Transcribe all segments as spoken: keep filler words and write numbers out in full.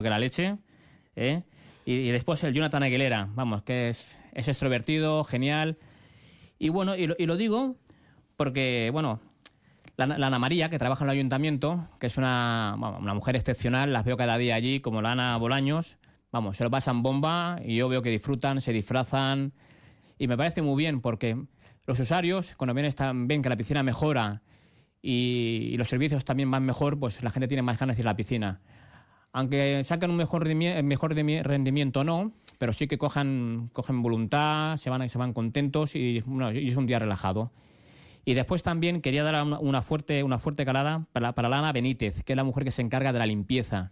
que la leche, ¿eh? Y, y después el Jonathan Aguilera, vamos, que es, es extrovertido, genial. Y bueno, y lo, y lo digo porque, bueno, la, la Ana María, que trabaja en el ayuntamiento, que es una, bueno, una mujer excepcional, las veo cada día allí, como la Ana Bolaños, vamos, se lo pasan bomba y yo veo que disfrutan, se disfrazan y me parece muy bien porque los usuarios, cuando ven, están, ven que la piscina mejora y, y los servicios también van mejor, pues la gente tiene más ganas de ir a la piscina. Aunque saquen un mejor rendimiento, mejor rendimiento no, pero sí que cojan, cogen voluntad, se van, se van contentos y, bueno, y es un día relajado. Y después también quería dar una, una, fuerte, una fuerte calada para, para la Ana Benítez, que es la mujer que se encarga de la limpieza,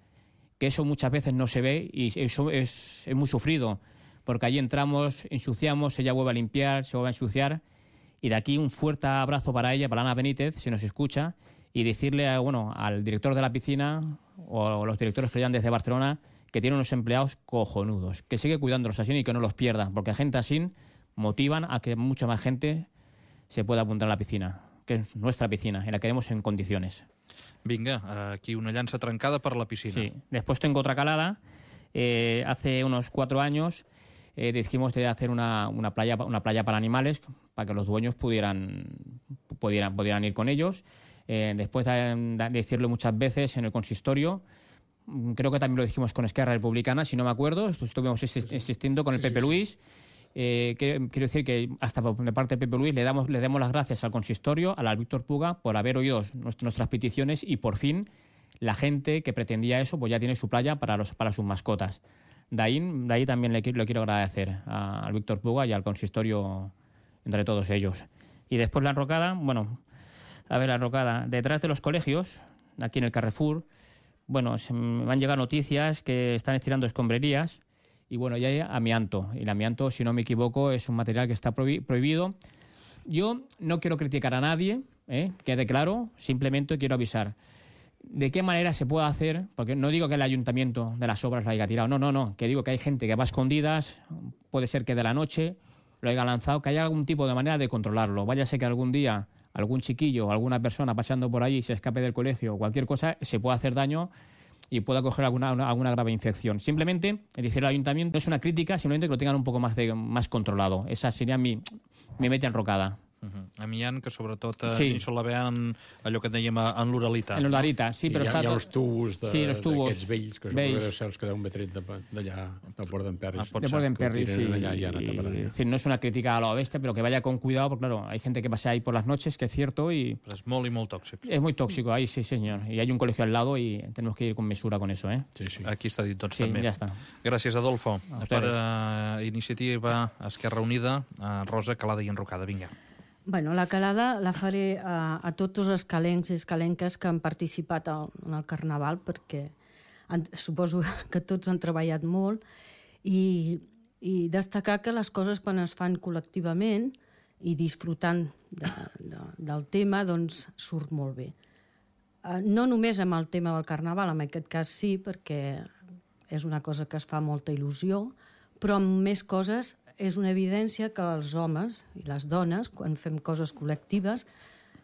que eso muchas veces no se ve y eso es, es muy sufrido, porque allí entramos, ensuciamos, ella vuelve a limpiar, se vuelve a ensuciar, y de aquí un fuerte abrazo para ella, para Ana Benítez, si nos escucha, y decirle a, bueno, al director de la piscina o los directores que llegan desde Barcelona que tiene unos empleados cojonudos, que sigue cuidándolos así y que no los pierda, porque gente así motivan a que mucha más gente se pueda apuntar a la piscina, que es nuestra piscina, y la queremos en condiciones. Vinga, aquí una llança trencada per la piscina. Sí, después tengo otra calada. Eh, hace unos cuatro años eh, decidimos de hacer una, una, playa, una playa para animales, para que los dueños pudieran, pudieran, pudieran ir con ellos. Eh, después de, de decirlo muchas veces en el consistorio, creo que también lo dijimos con Esquerra Republicana, si no me acuerdo, estuvimos insistiendo con el Pepe Luis. Eh, que, quiero decir que hasta por parte de Pepe Luis le damos, le damos las gracias al consistorio, al Víctor Puga, por haber oído nuestras peticiones y por fin la gente que pretendía eso pues ya tiene su playa para, los, para sus mascotas. De ahí, de ahí también le, le quiero agradecer a, al Víctor Puga y al consistorio entre todos ellos. Y después la enrocada, bueno, a ver la enrocada, detrás de los colegios, aquí en el Carrefour, bueno, se me han llegado noticias que están estirando escombrerías. Y bueno, ya hay amianto. Y el amianto, si no me equivoco, es un material que está prohi- prohibido. Yo no quiero criticar a nadie, ¿eh? Quede claro, simplemente quiero avisar. ¿De qué manera se puede hacer? Porque no digo que el ayuntamiento de las obras lo haya tirado, no, no, no. Que digo que hay gente que va a escondidas, puede ser que de la noche lo haya lanzado, que haya algún tipo de manera de controlarlo. Váyase que algún día algún chiquillo o alguna persona paseando por ahí se escape del colegio o cualquier cosa, se puede hacer daño y pueda coger alguna, una, alguna grave infección. Simplemente, decir al ayuntamiento es una crítica, simplemente que lo tengan un poco más, de, más controlado. Esa sería mi, mi meta enrocada. Uh-huh. Amiant, que sobretot eh, sí. se la ve en allò que dèiem en l'oralitat. En l'oralitat, sí, però hi ha, està... Hi ha els tubos d'aquests sí, els tubos vells, que suposo que seus que deuen haver tret d'allà, del Port d'Emperris. Ah, de Port d'Emperris, sí. Allà, y, y, decir, no es una crítica a la bestia, pero que vaya con cuidado, porque claro, hay gente que pasa ahí por las noches, que es cierto, y... Però és molt i molt tòxic. Es muy tóxico, ahí sí, señor. Y hay un colegio al lado y tenemos que ir con mesura con eso, ¿eh? Sí, sí. Aquí està dit, doncs, sí, també. Ja està. Gràcies, Adolfo. Per uh, Iniciativa Esquerra Unida, uh, Rosa, calada i enrocada. Vinga. Bueno, la calada la faré a, a tots els escalencs i escalenques que han participat al, en el Carnaval, perquè han, suposo que tots han treballat molt, i, i destacar que les coses quan es fan col·lectivament i disfrutant de, de, del tema, doncs surt molt bé. Uh, no només amb el tema del Carnaval, en aquest cas sí, perquè és una cosa que es fa molta il·lusió, però amb més coses és una evidència que els homes i les dones, quan fem coses col·lectives,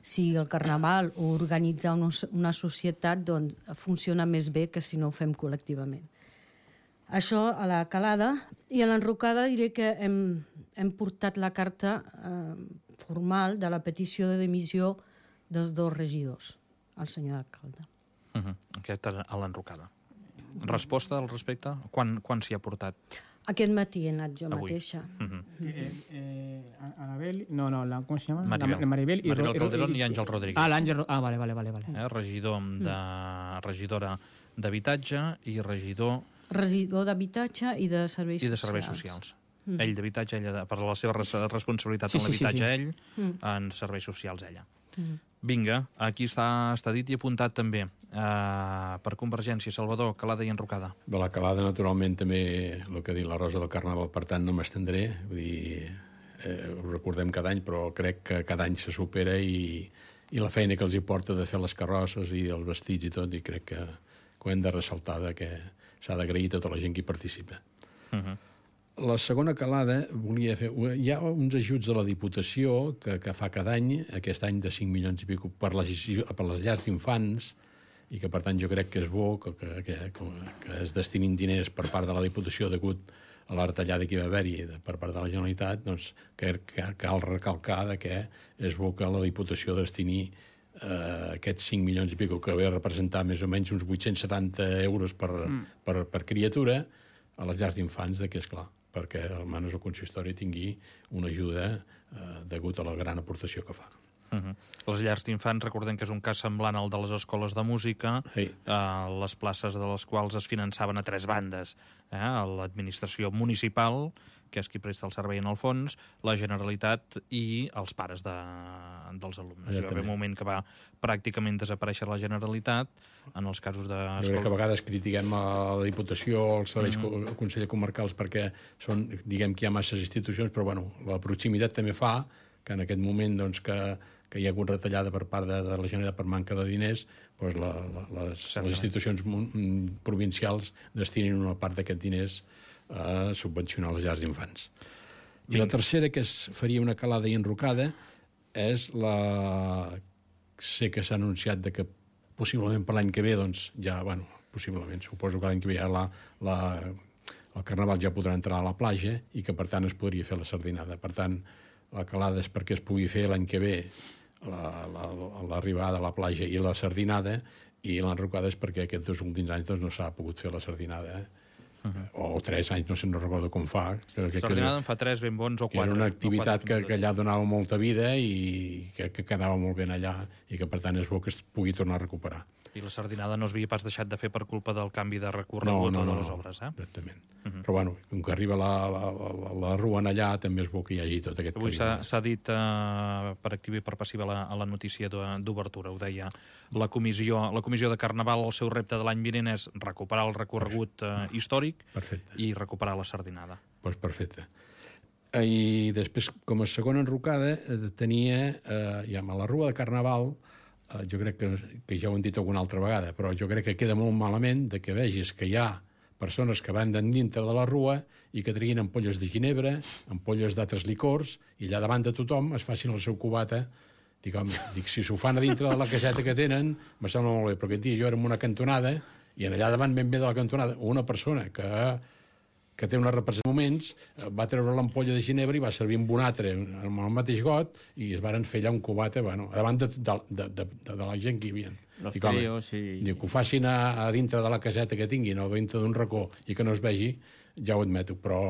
sigui el Carnaval o organitzar una societat, doncs funciona més bé que si no ho fem col·lectivament. Això a la calada. I a l'enrocada diré que hem, hem portat la carta eh, formal de la petició de dimissió dels dos regidors, el senyor alcalde. Uh-huh. Aquesta a l'enrocada. Resposta al respecte? Quan, quan s'hi ha portat? Aquest matí he anat jo Avui. mateixa. Uh-huh. eh, eh, Anabel, no, no, la, ¿cómo se llama? Maribel, la, Maribel, y Maribel Ro, Calderón y, i Àngel Rodríguez. Ah, l'Àngel, ah, vale, vale, vale. vale. Eh, regidor de, regidora d'habitatge i regidor... Regidor d'habitatge i de serveis socials. I de serveis socials. Mm. Ell d'habitatge, ella de, per la seva res, responsabilitat sí, en l'habitatge, sí, sí, sí. ell, mm. en serveis socials, ella. Mm. Vinga, aquí està, està dit i apuntat també eh, per Convergència, Salvador, calada i enrocada. De la calada, naturalment, també el que ha dit la Rosa del Carnaval, per tant, no m'estendré. Vull dir, eh, ho recordem cada any, però crec que cada any se supera i, i la feina que els hi porta de fer les carrosses i els vestits i tot, i crec que, que ho hem de ressaltar, de que s'ha d'agrair a tota la gent que hi participa. Uh-huh. La segona calada volia fer... Hi ha uns ajuts de la Diputació que, que fa cada any, aquest any de cinc milions i pico per les, per les llars d'infants, i que, per tant, jo crec que és bo que, que, que, que es destinin diners per part de la Diputació degut a la retallada que hi va haver-hi per part de la Generalitat, doncs que, que cal recalcar que és bo que la Diputació destini eh, aquests cinc milions i pico, que ve a representar més o menys uns vuit-cents setanta euros per, mm. per, per criatura a les llars d'infants, que és clar, perquè almenys el consistori tingui una ajuda eh, degut a la gran aportació que fa. Uh-huh. Les llars d'infants, recordem que és un cas semblant al de les escoles de música, sí. eh, les places de les quals es finançaven a tres bandes, eh? l'administració municipal, que és qui presta el servei en el fons, la Generalitat i els pares de, dels alumnes. Hi va haver un moment que va pràcticament desaparèixer la Generalitat, en els casos de... Jo crec que a vegades critiquem a la Diputació, als serveis mm-hmm. consellers comarcals, perquè són, diguem que hi ha masses institucions, però bueno, la proximitat també fa que en aquest moment doncs, que, que hi ha hagut retallada per part de, de la Generalitat per manca de diners, doncs la, la, les, les institucions provincials destinin una part d'aquests diners a subvencionar les llars d'infants. I la tercera, que es faria una calada i enrocada, és la... Sé que s'ha anunciat de que possiblement per l'any que ve, doncs ja, bueno, possiblement, suposo que l'any que ve ja la, la, el Carnaval ja podrà entrar a la platja i que, per tant, es podria fer la sardinada. Per tant, la calada és perquè es pugui fer l'any que ve l'arribada a la platja i la sardinada, i l'enrocada és perquè aquests dos últims anys doncs, no s'ha pogut fer la sardinada, eh? Uh-huh. O tres anys, no sé, no recordo com fa. Que, que, Sardinada en fa tres ben bons o quatre. Era una activitat que, que allà donava molta vida i que, que quedava molt ben allà i que, per tant, és bo que es pugui tornar a recuperar. I la sardinada no es havia pas deixat de fer per culpa del canvi de recorregut no, no, no, o de les obres, eh? Exactament. Uh-huh. Però, bueno, com que arriba la, la, la, la rua en allà, també és bo que hi hagi tot aquest... Avui s'ha dit uh, per activa i per passiva la, a la notícia d'obertura, ho deia la comissió, la comissió de Carnaval. El seu repte de l'any vinent és recuperar el recorregut uh, històric perfecte. I recuperar la sardinada. Doncs pues perfecte. I després, com a segona enrocada, tenia, eh, ja a la rua de Carnaval, jo crec que, que ja ho hem dit alguna altra vegada, però jo crec que queda molt malament de que vegis que hi ha persones que van dintre de la rua i que traien ampolles de ginebra, ampolles d'altres licors, i allà davant de tothom es facin el seu cubata. Dic, home, dic, si s'ho fan a dintre de la caseta que tenen, me sembla molt bé, però aquest dia jo era en una cantonada i en allà davant, ben bé de la cantonada, una persona que... que té una representació de moments, va treure l'ampolla de ginebra i va servir amb un altre amb el mateix got i es varen fer allà un cubata, bueno, davant de, de, de, de, de la gent que hi havia. Los dic, tríos i... Dic, que ho facin a, a dintre de la caseta que tinguin o dintre d'un racó i que no es vegi, ja ho admeto, però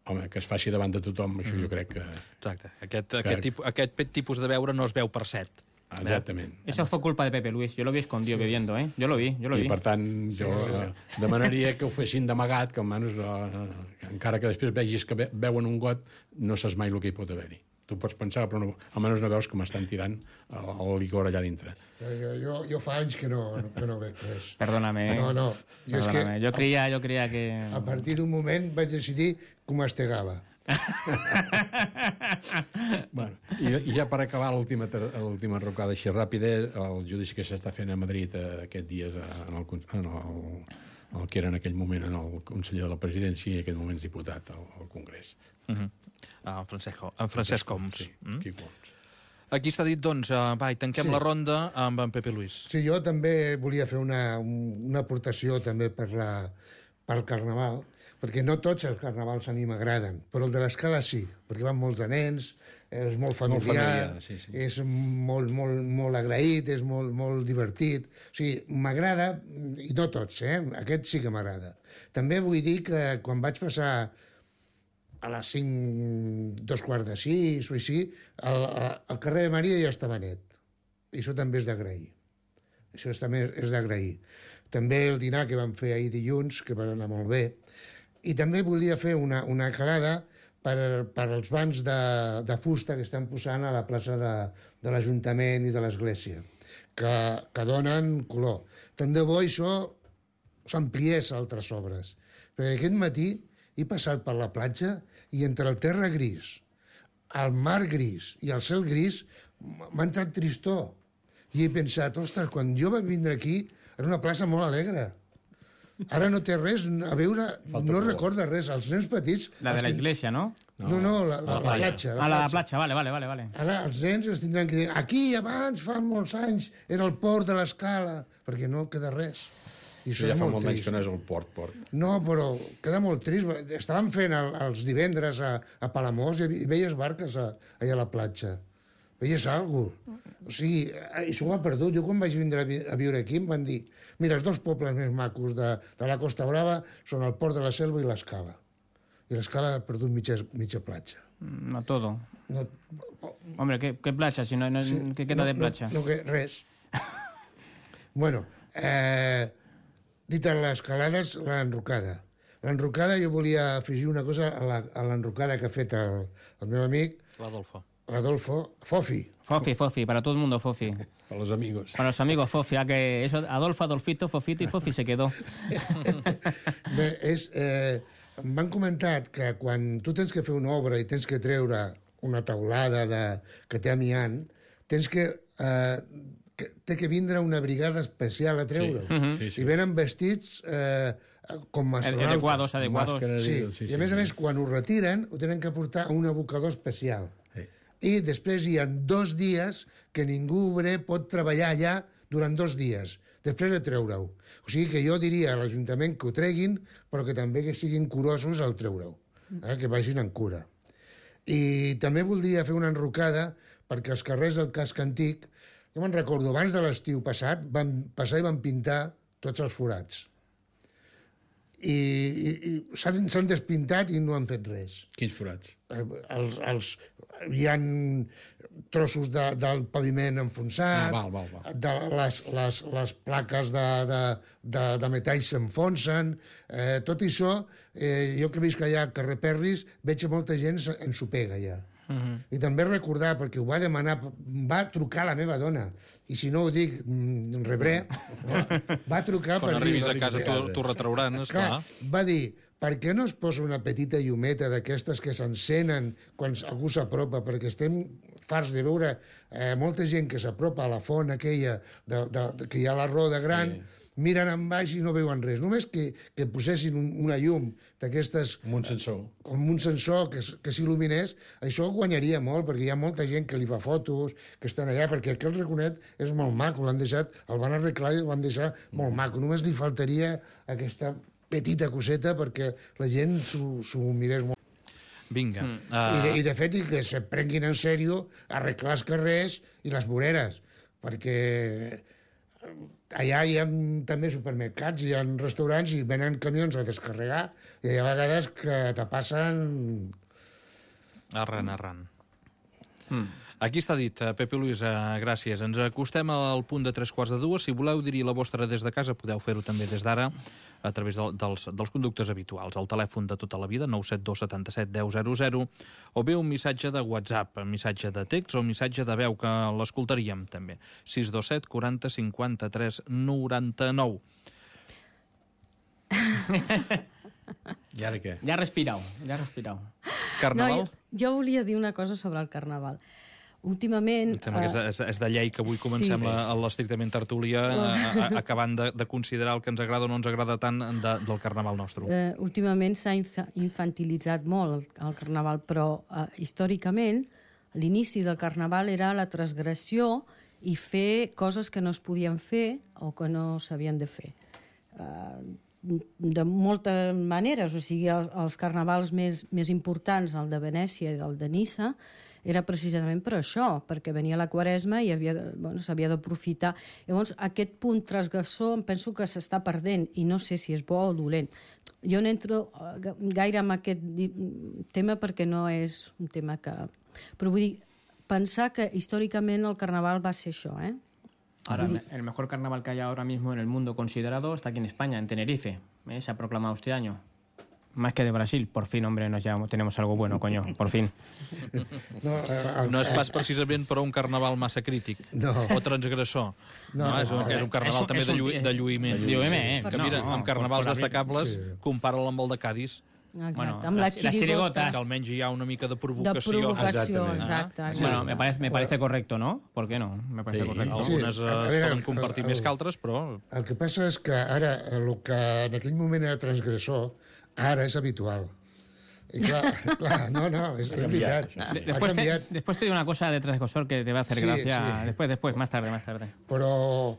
home, que es faci davant de tothom, això mm. jo crec que... Exacte, aquest, que... aquest, tipus, aquest tipus de beure no es veu per set. Exactament. Eso fue culpa de Pepe Luis. Yo lo vi escondido sí. bebiendo, ¿eh? Yo lo vi, yo lo I, vi. I, per tant, jo sí, sí, sí. demanaria que ho fessin d'amagat, que almenys, no, encara que després vegis que beuen un got, no saps mai el que hi pot haver-hi. Tu pots pensar, però no, almenys no veus que m'estan tirant el, el licor allà dintre. Jo, jo, jo fa anys que no, que no veig res. Perdóname. No, no. Jo, és que, jo, creia, jo creia que... A partir d'un moment vaig decidir que mastegava. Bueno, i, i ja per acabar l'última l'última enrocada així ràpida, el judici que s'està fent a Madrid eh, aquests dies en el, en el, el que era en aquell moment en el conseller de la presidència i en aquest moment diputat al, al Congrés. Uh-huh. En Francesc, en Francesc Homs. Sí, mm? Quico Homs. Aquí està dit, doncs, uh, va, i tanquem sí. la ronda amb en Pepe Luis. Sí, jo també volia fer una, una aportació també per la, pel Carnaval, perquè no tots els carnavals a mi m'agraden, però el de l'Escala sí, perquè van molts de nens, és molt familiar, molt familiar sí, sí. és molt, molt, molt agraït, és molt, molt divertit. O sigui, m'agrada, i no tots, eh? Aquest sí que m'agrada. També vull dir que quan vaig passar a les cinc, dos quarts de sis o així, el, el carrer de Maria ja estava net. I això també és d'agrair. Això també és d'agrair. També el dinar que vam fer ahir dilluns, que va anar molt bé. I també volia fer una, una calada per, per als bancs de, de fusta que estan posant a la plaça de, de l'Ajuntament i de l'Església, que, que donen color. Tant de bo això s'ampliés a altres obres. Perquè aquest matí he passat per la platja i entre el terra gris, el mar gris i el cel gris m'ha entrat tristor. I he pensat, ostres, quan jo vaig vindre aquí era una plaça molt alegre. Ara no té res a veure, Falta no por. recorda res. Els nens petits... La de la els tin- iglesia, ¿no? No, no, la, la, la platja. Ah, la platja, vale, vale, vale. vale. Ara els nens els tindran que dir aquí abans, fa molts anys, era el port de l'Escala, perquè no queda res. I això Ja és fa molt molt anys trist. que no és el port, port. No, però queda molt trist. Estàvem fent el, els divendres a, a Palamós i hi veies barques a, allà a la platja. Veies alguna cosa. O sigui, això ho ha perdut. Jo quan vaig vindre a, vi a viure aquí em van dir mira, els dos pobles més macos de, de la Costa Brava són el Port de la Selva i l'Escala. I l'Escala ha perdut mitja, mitja platja. No todo. No, Hombre, ¿qué, qué playa? Si no, no, sí, ¿qué queda no, de playa? No, no, que res. Bueno, eh, dit a les calades, l'enrocada. L'enrocada, jo volia afegir una cosa a l'enrocada que ha fet el, el meu amic, L'Adolfo. l'Adolfo, Fofi. Fofi, Fofi, para todo el mundo Fofi. Per los amigos. Para los amigos Fofi, a que eso, Adolfo, Adolfito, Fofito y Fofi se quedó. Bé, és, eh, em van comentar que quan tu tens que fer una obra i tens que treure una taulada de, que té amiant, tens que, eh, que... té que vindre una brigada especial a treure-ho. Sí, sí, sí. I venen vestits eh, com astronautes. Adecuados, adecuados. Màscara, Sí, sí, i a més a més, quan ho retiren, ho tenen que portar a un abocador especial. Sí. I després hi ha dos dies que ningú obrer pot treballar allà durant dos dies, després de treure-ho. O sigui que jo diria a l'Ajuntament que ho treguin, però que també que siguin curosos al treure-ho, eh? Que vagin en cura. I també voldria fer una enrocada perquè els carrers del casc antic, jo me'n recordo, abans de l'estiu passat, van passar i van pintar tots els forats. I, i, i s'han s'han despintat i no han fet res. Quins forats? Eh, els, els, hi ha trossos de, del paviment enfonsat, Ah, val, val, val. de les, les, les plaques de, de, de, de metall s'enfonsen, eh, tot això, eh, jo que visc allà al carrer Perris, veig que molta gent ensopega ja. Uh -huh. I també recordar, perquè ho va demanar, va trucar la meva dona, i si no ho dic, mm, rebré, no? Va trucar Quan per arribis dir... a casa t'ho retrauran, esclar. Clar, va dir, per què no es posa una petita llumeta d'aquestes que s'encenen quan algú s'apropa? Perquè estem farts de veure eh, molta gent que s'apropa a la font aquella de, de, de, que hi ha la roda gran, sí. Miren en baix i no veuen res. Només que, que posessin un, una llum d'aquestes... Amb un sensor. Com un sensor que, que s'il·luminés, això guanyaria molt, perquè hi ha molta gent que li fa fotos, que estan allà, perquè aquell raconet és molt maco, l'han deixat, el van arreglar i el van deixar molt maco. Només li faltaria aquesta petita coseta perquè la gent s'ho mirés molt. Vinga. Mm. Uh... I, de, I de fet, i que se prenguin en sèrio arreglar els carrers i les voreres, perquè allà hi ha també supermercats, hi ha restaurants i venen camions a descarregar i hi ha vegades que te passen... Arran, arran. Mm. Aquí està dit, Pepe Luis, gràcies. Ens acostem al punt de tres quarts de dues. Si voleu dir la vostra des de casa, podeu fer-ho també des d'ara a través de, dels, dels conductes habituals. El telèfon de tota la vida, nou set dos setanta set deu zero zero, o bé un missatge de WhatsApp, un missatge de text o un missatge de veu, que l'escoltaríem també. sis dos set quaranta cinquanta tres noranta-nou. I ara què? Ja ha respirat, ja ha respirat. Carnaval? No, jo, jo volia dir una cosa sobre el Carnaval. Últimament... Em sembla que és, és, és de llei que avui comencem Sí. la, l'estrictament tertúlia, a, a, acabant de, de considerar el que ens agrada o no ens agrada tant de, del Carnaval nostre. Eh, últimament s'ha infa infantilitzat molt el, el Carnaval, però eh, històricament l'inici del Carnaval era la transgressió i fer coses que no es podien fer o que no s'havien de fer. Eh, de moltes maneres, o sigui, els, els carnavals més, més importants, el de Venècia i el de Niça, era precisament per això, perquè venia la Quaresma i s'havia bueno, d'aprofitar. Llavors, aquest punt transgressor em penso que s'està perdent i no sé si és bo o dolent. Jo no entro gaire en aquest tema perquè no és un tema que... Però vull dir, pensar que històricament el Carnaval va ser això, eh? Ahora, el mejor carnaval que hay ahora mismo en el mundo considerado está aquí en España, en Tenerife. ¿Eh? Se ha proclamado este año. Más que de Brasil. Por fin, hombre, nos llevamos, tenemos algo bueno, coño. Por fin. No, el, No és pas precisament per un carnaval massa crític No. o transgressor. No, No, és, un, és un carnaval és un- també és de, un- llu, de lluïment. de lluïment, Que no, mira, no, amb carnavals por- por la- destacables, sí. compara'l amb el de Cádiz, Exacte, bueno, amb les xirigotes. Que almenys hi ha una mica de provocació. De provocació, Exactament. exacte. exacte. Bueno, me parece, me parece correcto, ¿no? ¿Por qué no? Me parece Sí. correcto. Sí. Algunes eh, A es veure, poden compartir el- més el- que altres, però... El que passa és que ara, el que en aquell moment era transgressor, ara és habitual. I clar, clar no, no, és, és veritat. De- Ha Después te, canviat, después te digo una cosa de transgresor que te va a hacer Sí, gracia. sí. Después, después, más tarde, más tarde. però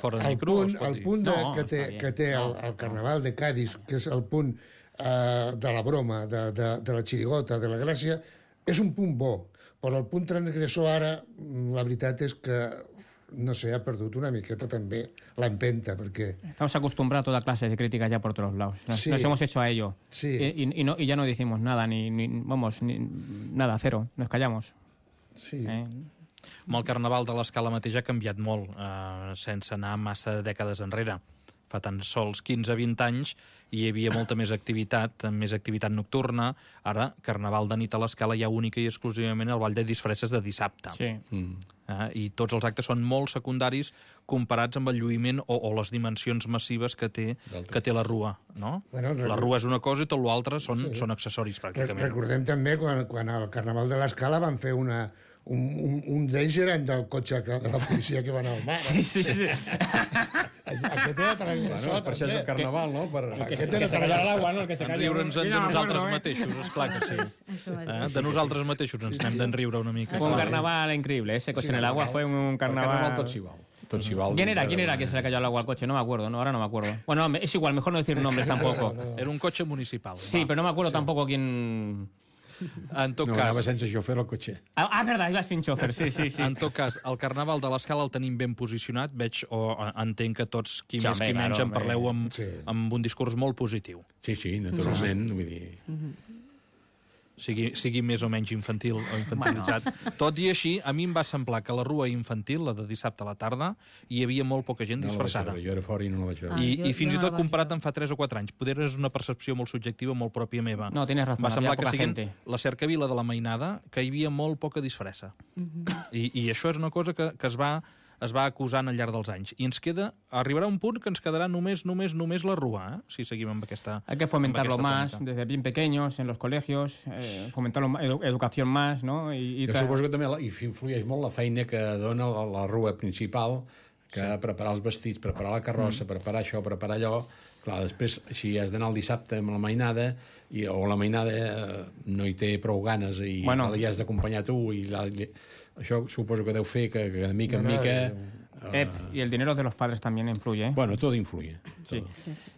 Fora de el micro, punt, es pot el dir. punt de, No, que té, està bé. que té el, el Carnaval de Cádiz, que és el punt eh, de la broma, de, de, de la xirigota, de la gràcia, és un punt bo. Però el punt transgressor ara, mm, la veritat és que, no sé, ha perdut una miqueta també l'empenta, perquè... Estamos acostumbrados a toda clase de críticas ya por todos lados. Nos, Sí. nos hemos hecho a ello. Sí. Y, y- y no, y ya no decimos nada, ni, ni vamos, ni, nada, cero. Nos callamos. Sí, ¿eh? Amb el Carnaval de l'Escala mateix ha canviat molt, eh, sense anar massa dècades enrere. Fa tan sols quinze a vint anys i hi havia molta més activitat, més activitat nocturna. Ara, Carnaval de nit a l'Escala hi ha única i exclusivament el ball de disfresses de dissabte. Sí. Mm. Eh, I tots els actes són molt secundaris comparats amb el lluïment o, o les dimensions massives que té, que té la rua. No? Bueno, La record- rua és una cosa i tot l'altre són, són accessoris, Re- pràcticament. Recordem també quan, quan al Carnaval de l'Escala van fer una... Un, un, un d'ells eren del cotxe que, de la policia que van al mar. Eh? Sí, sí, sí. Aquest era transgressor, Bueno, per això és el també. Carnaval, no? Per... Aquest Que era se cayó al agua, ¿no? El que se En cayó. riure'ns Yo de no me nosaltres acuerdo, ¿eh? mateixos, esclar que sí. Això mateix. Eh? De nosaltres mateixos ens n'hem d'en riure una mica. Fue un Clar. carnaval increïble. Ese coche en el agua fue un El Carnaval carnaval... tot s'hi val. Tot s'hi val. ¿Quién era? ¿Quién era que se le cayó al agua al coche? No me acuerdo, no, ahora no me acuerdo. Bueno, no, es igual, mejor no decir nombres tampoco. Era un cotxe municipal. Sí, pero no me acuerdo tampoco quién... En tot No, anava cas, sense xofer al cotxe. Ah, ah, verdad, iba sin chofer, sí, sí, sí. en tot cas, el Carnaval de l'Escala el tenim ben posicionat. Veig o eh, entenc que tots, qui Sí, més home, qui menys, claro, en parleu amb, Sí. amb un discurs molt positiu. Sí, sí, naturalment. Vull dir... Sigui, sigui més o menys infantil o infantilitzat. Tot i així, a mi em va semblar que la rua infantil, la de dissabte a la tarda, hi havia molt poca gent No la vaig disfressada. veure, jo era fora i no la vaig veure. Ah, I, jo- I fins jo i no tot la vaig comparat veure. amb fa tres o quatre anys. Poder és una percepció molt subjectiva, molt pròpia meva. No, tienes razón, Va semblar había que poca siguin gente. la cercavila de la Mainada, que hi havia molt poca disfressa. I, I això és una cosa que, que es va es va acusant al llarg dels anys. I ens queda, arribarà un punt que ens quedarà només, només, només la rua, eh? Si seguim amb aquesta Hay que fomentarlo amb más aquesta tònica. desde bien pequeños, en los colegios, eh, fomentarlo, más, edu- educación más, ¿no? Y, y Jo tra- suposo que també la- hi influeix molt la feina que dona la, la rua principal, que sí. preparar els vestits, preparar la carrossa, mm. preparar això, preparar allò. Clar, després, si has d'anar el dissabte amb la mainada, i, o la mainada eh, no hi té prou ganes i Bueno. hi has d'acompanyar tu, i la, i, això suposo que deu fer que, que de mica en No, no, mica... jo- Eh, y el dinero de los padres también influye, ¿eh? Bueno, tot influye. Sí.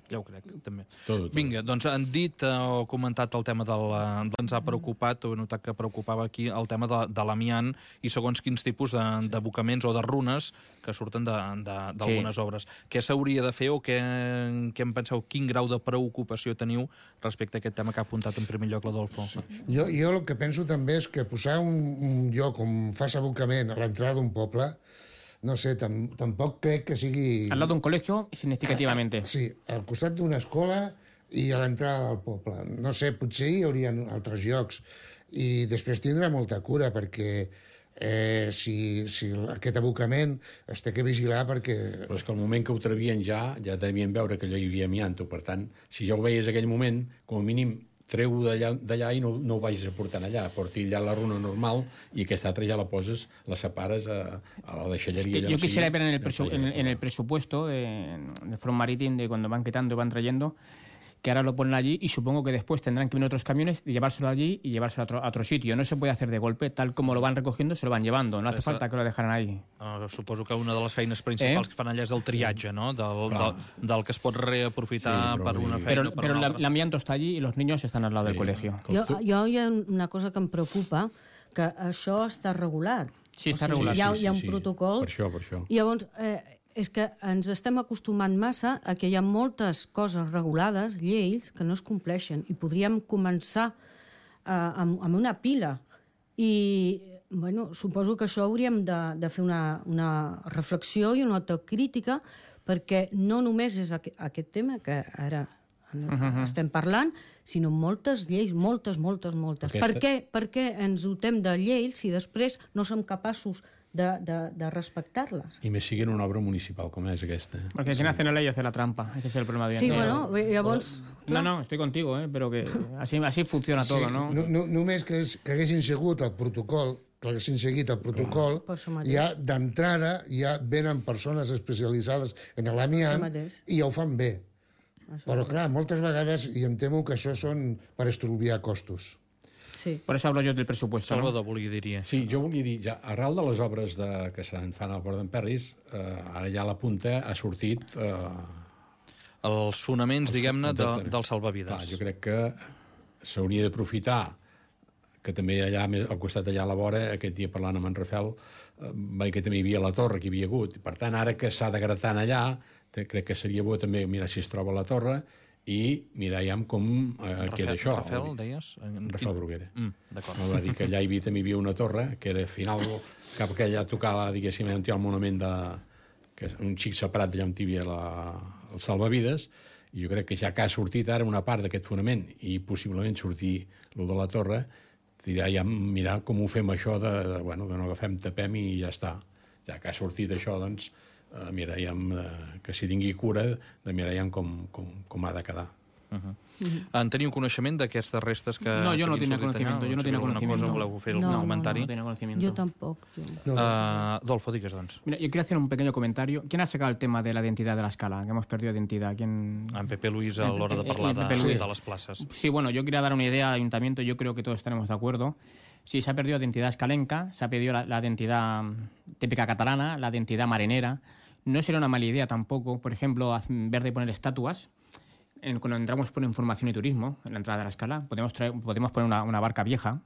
Ja ho crec, també. Tot, tot. Vinga, doncs han dit eh, o comentat el tema del... eh, ens ha preocupat, o he notat que preocupava aquí, el tema de, de l'amiant i segons quins tipus de- d'abocaments o de runes que surten d'algunes Sí. obres. Què s'hauria de fer o què, què en penseu? Quin grau de preocupació teniu respecte a aquest tema que ha apuntat en primer lloc l'Adolfo? Sí. Jo, jo el que penso també és que posar un, un lloc on fas abocament a l'entrada d'un poble, no sé, tam, tampoc crec que sigui... Al lado de un colegio, significativamente. Sí, al costat d'una escola i a l'entrada del poble. No sé, potser hi haurien altres llocs. I després tindrà molta cura, perquè eh, si, si aquest abocament es té que vigilar perquè... Però és que al moment que ho trevien ja, ja devien veure que allò hi havia amianto. Per tant, si ja ho veies aquell moment, com a mínim treu-ho d'allà d'allà i no, no ho vagis aportant allà. Porti allà la runa normal i aquesta altra ja la poses, la separes a, a la deixalleria. Es que allà yo on sigui, quisiera ver en el, allà presu- on en, sigui. en el presupuesto de, de Front Marítim, de cuando van quitando y van trayendo, que ahora lo ponen allí y supongo que después tendrán que venir otros camiones y llevárselo allí y llevárselo a otro, a otro sitio. No se puede hacer de golpe, tal como lo van recogiendo, se lo van llevando. No hace Esa- falta que lo dejaran ahí. Uh, suposo que una de les feines principals Eh? que fan allà és el triatge, no? Del, del, del que es pot reaprofitar Sí, però per vull una dir- feina Pero, o per pero una la- altra. el amianto está allí y los niños están al lado del Sí. colegio. Que els Jo, tu- jo hi ha una cosa que em preocupa, que això està regulat. Sí, està O sigui, regulat. Hi ha, Sí, hi ha sí, un sí. protocol. Per això, per això. I llavors, eh, és que ens estem acostumant massa a que hi ha moltes coses regulades, lleis, que no es compleixen. I podríem començar eh, amb, amb una pila. I, bueno, suposo que això hauríem de, de fer una, una reflexió i una autocrítica, perquè no només és aqu aquest tema que ara uh-huh. estem parlant, sinó moltes lleis, moltes, moltes, moltes. Aquesta- Per què, per què ens dotem de lleis si després no som capaços de, de, de respectar-les. I més siguin una obra municipal com és aquesta. Porque quien hace una ley hace la trampa. Ese es el problema. Sí, de... bueno, llavors... No, no, estoy contigo, ¿eh? Pero que así, así funciona todo, sí, ¿no? no, no només que, és, que haguessin seguit el protocol, que haguessin seguit el protocol, ja d'entrada ja venen persones especialitzades en l'amiant i ja ho fan bé. Això Però, clar, moltes vegades, i em temo que això són per estalviar costos. Sí. Por eso hablo yo del presupuesto. Salvador, ¿no? volia dir Sí, jo volia dir, ja, arrel de les obres de, que se'n fan al Port d'en Perris, eh, ara ja a la punta ha sortit... Eh, els fonaments, diguem-ne, de, de, del salvavides. Clar, jo crec que s'hauria d'aprofitar que també allà, al costat allà a la vora, aquest dia parlant amb en Rafael, eh, veia que també hi havia la torre que hi havia hagut. Per tant, ara que s'ha de gratar allà, crec que seria bo també mirar si es troba la torre i mirar ja com eh, Rafael, queda això. Rafael, deies? En Rafael Bruguera. Mm, d'acord. Va dir que allà hi havia, també hi havia una torre, que era al final cap que allà tocava, diguéssim, on hi ha el monument de... que és un xic separat d'allà on hi havia la, el salvavides, i jo crec que ja que ha sortit ara una part d'aquest fonament i possiblement sortir el de la torre, tirar ja mirar com ho fem això de, de bueno, que no agafem, tapem i ja està. Ja que ha sortit això, doncs, eh, mirarem eh, que s'hi tingui cura de mirar com, com, com ha de quedar. Uh -huh. Uh-huh. En teniu coneixement d'aquestes restes que... No, yo no tenía conocimiento. Yo no tenía conocimiento. Cosa, voleu fer algun no, comentari? No, no tenía conocimiento. Yo tampoco. Yo. No, no, no. Uh, Dolfo, digues, doncs. Mira, yo quiero hacer un pequeño comentario. ¿Quién ha sacado el tema de la identidad de la escala? Que hemos perdido identidad. ¿Quién... En Pepe Luis a l'hora de parlar sí, de, sí. de les places. Sí, bueno, yo quería dar una idea al ayuntamiento. Yo creo que todos estaremos de acuerdo. Sí, se ha perdido la identidad escalenca, se ha perdido la, la identidad típica catalana, la identidad marinera. No sería una mala idea tampoco, por ejemplo, en vez de poner estatuas, en, cuando entramos por información y turismo, en la entrada de la escala, podemos, traer, podemos poner una, una barca vieja,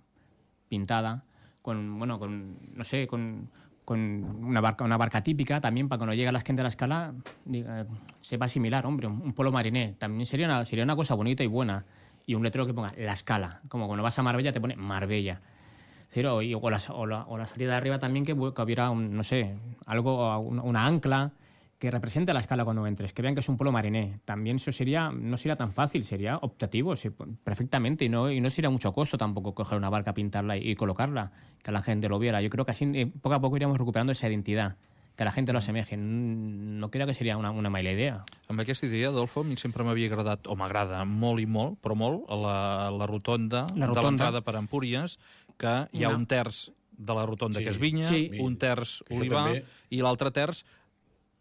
pintada, con, bueno, con, no sé, con, con una, barca, una barca típica también, para cuando llegue la gente a la escala, diga, sepa asimilar, hombre, un, un pueblo mariné. También sería una, sería una cosa bonita y buena. Y un letrero que ponga la escala, como cuando vas a Marbella te pone Marbella. Cero, y, o, la, o, la, o la salida de arriba también, que, que hubiera, un, no sé, algo, una, una ancla que represente la escala cuando entres, que vean que es un pueblo mariné. También eso sería, no sería tan fácil, sería optativo, sí, perfectamente, y no, y no sería mucho costo tampoco coger una barca, pintarla y, y colocarla, que la gente lo viera. Yo creo que así eh, poco a poco iríamos recuperando esa identidad, que la gente lo asemeje. No creo que seria una, una mala idea. Amb aquesta idea, Adolfo, a mi sempre m'havia agradat, o m'agrada molt i molt, però molt, la, la rotonda, la rotonda de l'entrada per Empúries, que hi ha una... un terç de la rotonda sí. que és vinya, sí. un terç olivar, i l'altre terç,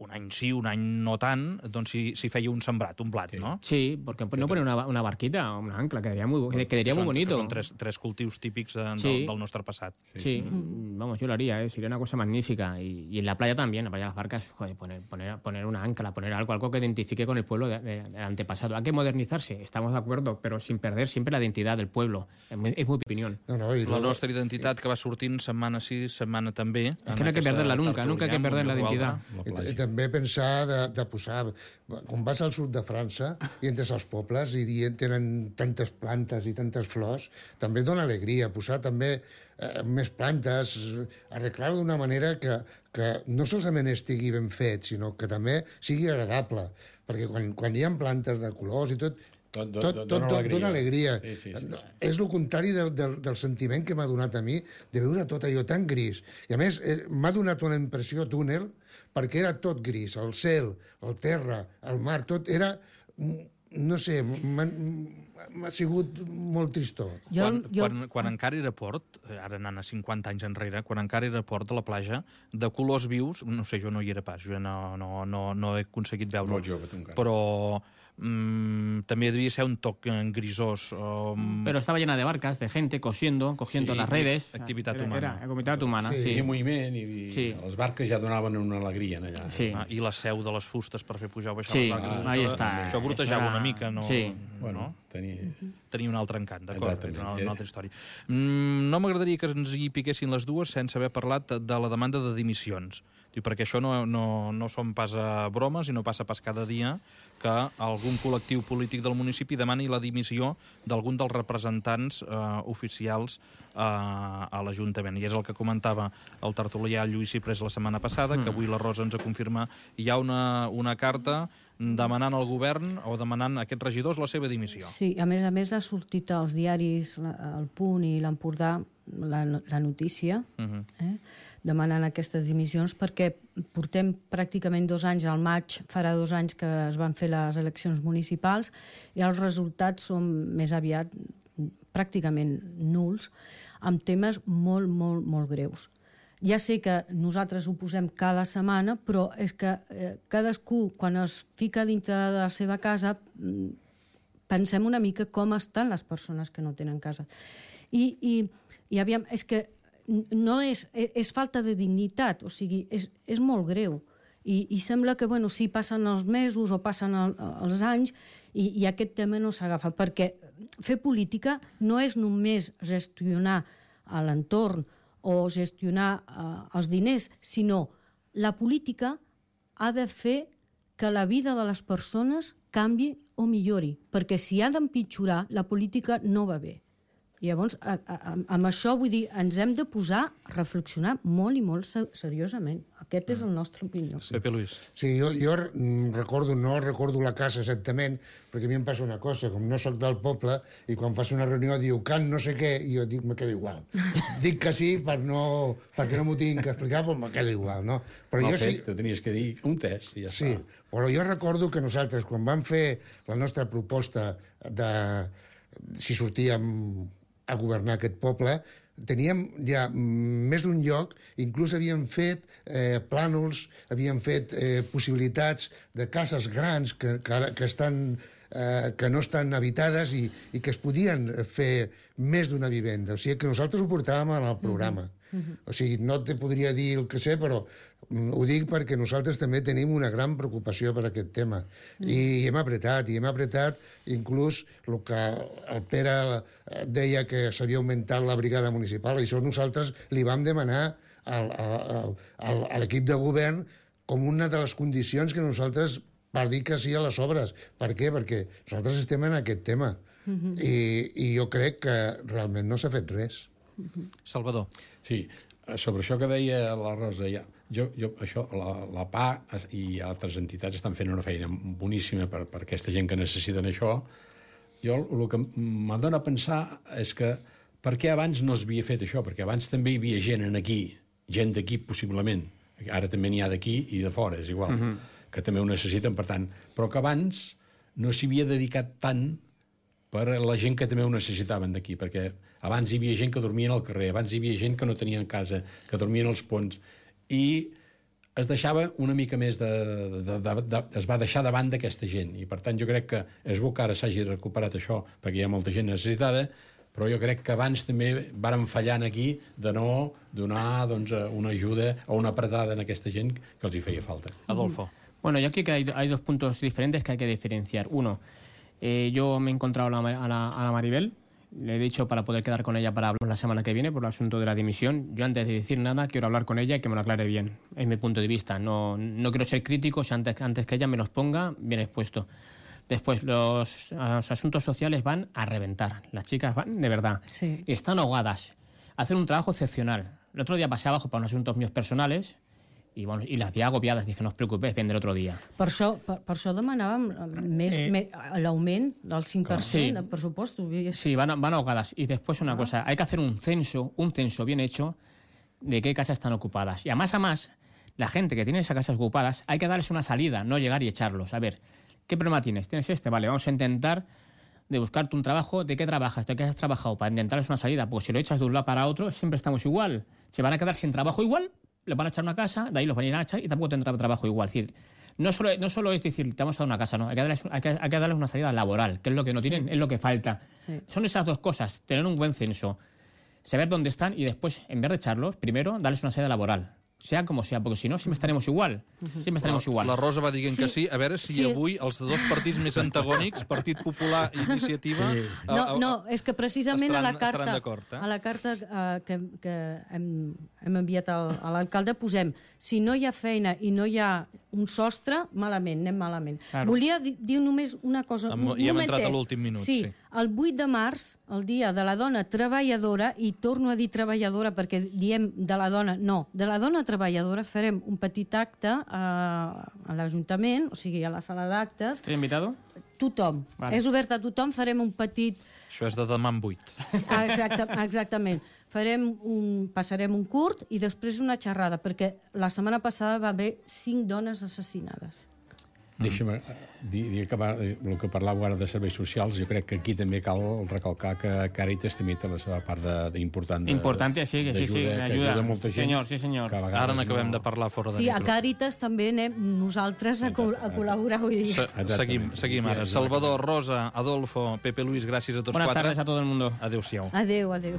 un any sí, un any no tant, doncs si, si feia un sembrat, un blat, sí. no? Sí, porque no poner una, una barquita o una ancla, quedaría muy, bueno, quedaría muy bonito. Són tres, tres cultius típics de, sí. del, del nostre passat. Sí, sí. Mm. vamos, yo lo haría, ¿eh? Sería una cosa magnífica. Y, y en la playa también, en la playa de las barcas, joder, poner, poner, poner una ancla, poner algo, algo que identifique con el pueblo del de, de antepasado. Hay que modernizarse, estamos de acuerdo, pero sin perder siempre la identidad del pueblo. Es muy, es muy opinión. No, no, la luego... nostra identitat que va sortint setmana sí, setmana també. Es que no hay que perderla nunca, nunca hay que perder la identidad. I, i també pensar de, de posar... Quan vas al sud de França i entres als pobles i tenen tantes plantes i tantes flors, també dona alegria posar també eh, més plantes, arreglar-ho d'una manera que, que no solament estigui ben fet, sinó que també sigui agradable. Perquè quan, quan hi ha plantes de colors i tot, Tot, tot, tot, tot dona alegria. Dona alegria. Sí, sí, sí, sí. És el contrari del, del, del sentiment que m'ha donat a mi de veure tot allò tan gris. I a més, eh, m'ha donat una impressió túnel perquè era tot gris. El cel, el terra, el mar, tot era... No sé, m'ha sigut molt tristor. Quan, jo... quan, quan encara era port, ara anant a cinquanta anys enrere, quan encara era port de la platja, de colors vius, no sé, jo no hi era pas, jo no, no, no, no he aconseguit veure-ho. Molt jove, tu encara. Però... Mm, també devia ser un toc grisós. Um... Pero estaba llena de barcas, de gente cosiendo, cogiendo sí, las redes. Activitat era, humana. Era activitat humana, sí. sí. sí. I moviment, i, i sí. les barques ja donaven una alegria allà. Sí. Ah, I la seu de les fustes per fer pujar o baixar sí. les barques. Ah, ahí està. Això brutejava era... una mica, no? Sí. Bueno, tenia... tenia un altre encant, d'acord? Una, una altra història. Mm, no m'agradaria que ens hi piquessin les dues sense haver parlat de la demanda de dimissions. Diu, perquè això no, no, no són pas a bromes i no passa pas cada dia que algun col·lectiu polític del municipi demani la dimissió d'algun dels representants eh, oficials eh, a l'Ajuntament. I és el que comentava el tertulià Lluís Ciprés la setmana passada, mm. que avui la Rosa ens confirma. Hi ha una, una carta demanant al govern o demanant a aquests regidors la seva dimissió. Sí, a més a més ha sortit als diaris El Punt i l'Empordà la, la notícia. Uh-huh. eh? demanant aquestes dimissions, perquè portem pràcticament dos anys, al maig farà dos anys que es van fer les eleccions municipals i els resultats són més aviat pràcticament nuls, amb temes molt, molt, molt greus. Ja sé que nosaltres ho posem cada setmana, però és que eh, cadascú, quan es fica dintre de la seva casa, pensem una mica com estan les persones que no tenen casa. I, i, i aviam, és que no és, és falta de dignitat, o sigui, és, és molt greu. I, i sembla que, bueno, sí, passen els mesos o passen el, els anys i, i aquest tema no s'agafa, perquè fer política no és només gestionar l'entorn o gestionar eh, els diners, sinó la política ha de fer que la vida de les persones canvi o millori, perquè si ha d'empitjorar, la política no va bé. I llavors, a, a, amb això, vull dir, ens hem de posar a reflexionar molt i molt seriosament. Aquest és el nostre opinió. Sí. Pepe Luis. Sí, jo, jo recordo, no recordo la casa exactament, perquè a mi em passa una cosa, com no sóc del poble, i quan fas una reunió diu can no sé què, i jo dic, me quedo igual. Dic que sí per no, perquè no m'ho tinc que explicar, però me quedo igual, no? Però Mal jo fet, sí... te tenies que dir un test i ja sí, està. Però jo recordo que nosaltres, quan vam fer la nostra proposta de si sortíem a governar aquest poble, teníem ja més d'un lloc, inclús havíem fet eh, plànols, havíem fet eh, possibilitats de cases grans que, que, que, estan, eh, que no estan habitades i, i que es podien fer més d'una vivenda. O sigui que nosaltres ho portàvem en el programa. Mm-hmm. O sigui, no te podria dir el que sé, però ho dic perquè nosaltres també tenim una gran preocupació per aquest tema. Mm. I hem apretat, i hem apretat inclús el que el Pere deia que s'havia augmentat la brigada municipal, i això nosaltres li vam demanar al, al, al, a l'equip de govern com una de les condicions que nosaltres per dir que sí a les obres. Per què? Perquè nosaltres estem en aquest tema. Mm-hmm. I, I jo crec que realment no s'ha fet res. Mm-hmm. Salvador. Sí, sobre això que deia la Rosa, ja, jo, jo, això, la, la P A i altres entitats estan fent una feina boníssima per, per aquesta gent que necessiten això. Jo el que m'adona a pensar és que per què abans no s'havia fet això? Perquè abans també hi havia gent en aquí, gent d'aquí possiblement, ara també n'hi ha d'aquí i de fora, és igual, uh-huh. que també ho necessiten, per tant, però que abans no s'hi havia dedicat tant per la gent que també ho necessitaven d'aquí, perquè abans hi havia gent que dormia al carrer, abans hi havia gent que no tenien casa, que dormien als ponts, i es deixava una mica més de... de, de, de es va deixar davant d'aquesta gent, i per tant jo crec que és bo que ara s'hagi recuperat això, perquè hi ha molta gent necessitada, però jo crec que abans també vàrem fallar aquí de no donar doncs, una ajuda o una apretada en aquesta gent que els hi feia falta. Adolfo. Bueno, yo creo que hay, hay dos puntos diferentes que hay que diferenciar. Uno, eh, yo me he encontrado a la, a, la, a la Maribel, le he dicho para poder quedar con ella para hablar la semana que viene por el asunto de la dimisión. Yo antes de decir nada quiero hablar con ella y que me lo aclare bien, es mi punto de vista. No, no quiero ser crítico, si antes, antes que ella me los ponga bien expuesto. Después, los, los asuntos sociales van a reventar. Las chicas van de verdad. Sí. Están ahogadas. Hacen un trabajo excepcional. El otro día pasé abajo para unos asuntos míos personales i, bueno, i les havia agobiades. Dije, no us preocupeu, vendré otro dia. Per això, per, per això demanàvem més, eh, més l'augment del cinc per cent sí, del pressupost. Sí, van, van ahogadas. Y después una ah. cosa, hay que hacer un censo, un censo bien hecho de qué casas están ocupadas. Y a más a más, la gente que tiene esas casas ocupadas, hay que darles una salida, no llegar y echarlos. A ver, ¿qué problema tienes? ¿Tienes este? Vale, vamos a intentar de buscarte un trabajo. ¿De qué trabajas? ¿De qué has trabajado? Para intentarles una salida. Porque si lo echas de un lado para otro, siempre estamos igual. Se van a quedar sin trabajo igual, les van a echar una casa, de ahí los van a ir a echar y tampoco tendrá trabajo igual. Es decir, no solo, no solo es decir, te vamos a dar una casa, no, hay que darles, hay que, hay que darles una salida laboral, que es lo que no sí. tienen, es lo que falta. Sí. Son esas dos cosas, tener un buen censo, saber dónde están y después, en vez de echarlos, primero darles una salida laboral. Sea com sea, perquè si no sempre estarem igual. Sempre estarem igual. La Rosa va dient sí. que sí. A veure si sí. avui els dos partits més antagònics, Partit Popular i Iniciativa... Sí. No, a, a, no, és que precisament estaran, a la carta, eh? a la carta uh, que, que hem, hem enviat al, a l'alcalde posem si no hi ha feina i no hi ha un sostre, malament, anem malament. Claro. Volia dir, dir només una cosa. Am, un I hem momentet. entrat a l'últim minut. Sí, sí, el vuit de març, el dia de la dona treballadora, i torno a dir treballadora perquè diem de la dona, no, de la dona treballadora farem un petit acte a, a l'Ajuntament, o sigui, a la sala d'actes. ¿Estoy invitado? tothom. Vale. És obert a tothom, farem un petit... Això és de demà en vuit. Exacte, exactament. Farem un, passarem un curt i després una xerrada, perquè la setmana passada va haver cinc dones assassinades. Deixa'm dir, dir que el que parlàveu ara de serveis socials, jo crec que aquí també cal recalcar que Càritas també té la seva part d'important. Important, sí, que sí, sí, que ajuda. ajuda molta gent. Senyor, sí, senyor. Ara n'acabem no... de parlar fora de sí, micro. Sí, a Càritas també anem nosaltres a, co a col·laborar avui dia. Se seguim, seguim ara. Salvador, Rosa, Adolfo, Pepe Luis, gràcies a tots Buenas quatre. Buenas tardes a todo el mundo. Adéu-siau. Adéu, adéu.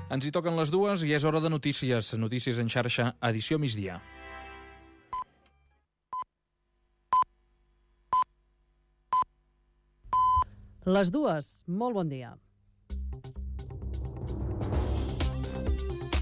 Ens hi toquen les dues i és hora de notícies. Notícies en xarxa, edició migdia. Les dues, molt bon dia.